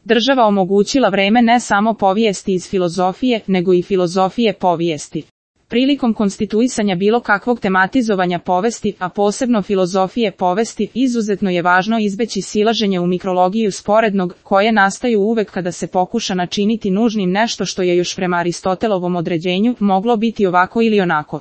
država omogućila vreme ne samo povijesti iz filozofije, nego i filozofije povijesti. Prilikom konstituisanja bilo kakvog tematizovanja povesti, a posebno filozofije povesti, izuzetno je važno izbeći silaženje u mikrologiju sporednog, koje nastaju uvek kada se pokuša načiniti nužnim nešto što je još prema Aristotelovom određenju moglo biti ovako ili onako.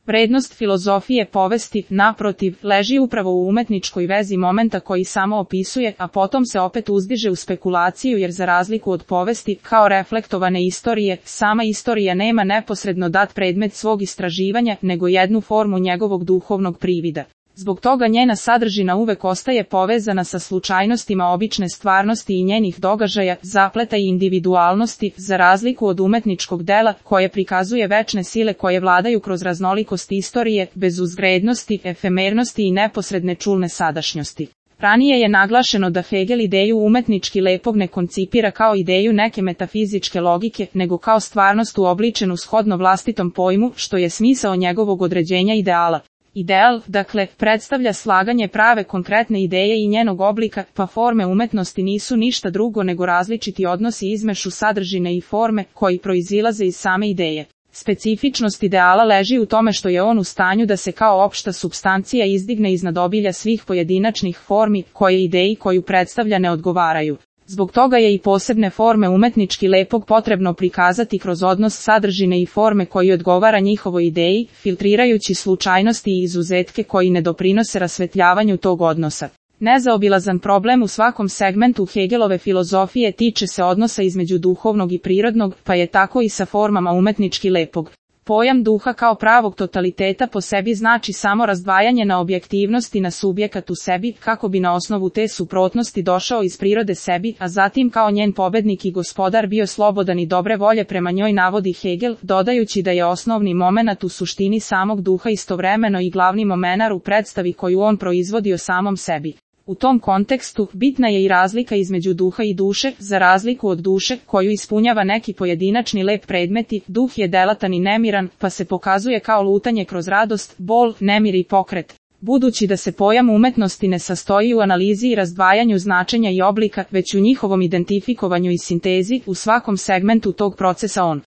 Vrednost filozofije povesti, naprotiv, leži upravo u umetničkoj vezi momenta koji samo opisuje, a potom se opet uzdiže u spekulaciju jer za razliku od povesti, kao reflektovane istorije, sama istorija nema neposredno dat predmet svog istraživanja, nego jednu formu njegovog duhovnog privida. Zbog toga njena sadržina uvek ostaje povezana sa slučajnostima obične stvarnosti i njenih događaja, zapleta i individualnosti, za razliku od umetničkog dela, koje prikazuje večne sile koje vladaju kroz raznolikost istorije, bez uzgrednosti, efemernosti i neposredne čulne sadašnjosti. Ranije je naglašeno da Hegel ideju umetnički lepog ne koncipira kao ideju neke metafizičke logike, nego kao stvarnost uobličenu shodno vlastitom pojmu, što je smisao njegovog određenja ideala. Ideal, dakle, predstavlja slaganje prave konkretne ideje i njenog oblika, pa forme umetnosti nisu ništa drugo nego različiti odnosi izmešu sadržine i forme, koji proizilaze iz same ideje. Specifičnost ideala leži u tome što je on u stanju da se kao opšta supstancija izdigne iznad obilja svih pojedinačnih formi, koje ideji koju predstavlja ne odgovaraju. Zbog toga je i posebne forme umetnički lepog potrebno prikazati kroz odnos sadržine i forme koji odgovara njihovoj ideji, filtrirajući slučajnosti i izuzetke koji ne doprinose rasvetljavanju tog odnosa. Nezaobilazan problem u svakom segmentu Hegelove filozofije tiče se odnosa između duhovnog i prirodnog, pa je tako i sa formama umetnički lepog. Pojam duha kao pravog totaliteta po sebi znači samo razdvajanje na objektivnost i na subjekat u sebi, kako bi na osnovu te suprotnosti došao iz prirode sebi, a zatim kao njen pobednik i gospodar bio slobodan i dobre volje prema njoj, navodi Hegel, dodajući da je osnovni momenat u suštini samog duha istovremeno i glavni momenat u predstavi koju on proizvodi o samom sebi. U tom kontekstu, bitna je i razlika između duha i duše, za razliku od duše, koju ispunjava neki pojedinačni lep predmeti, duh je delatan i nemiran, pa se pokazuje kao lutanje kroz radost, bol, nemir i pokret. Budući da se pojam umetnosti ne sastoji u analizi i razdvajanju značenja i oblika, već u njihovom identifikovanju i sintezi, u svakom segmentu tog procesa on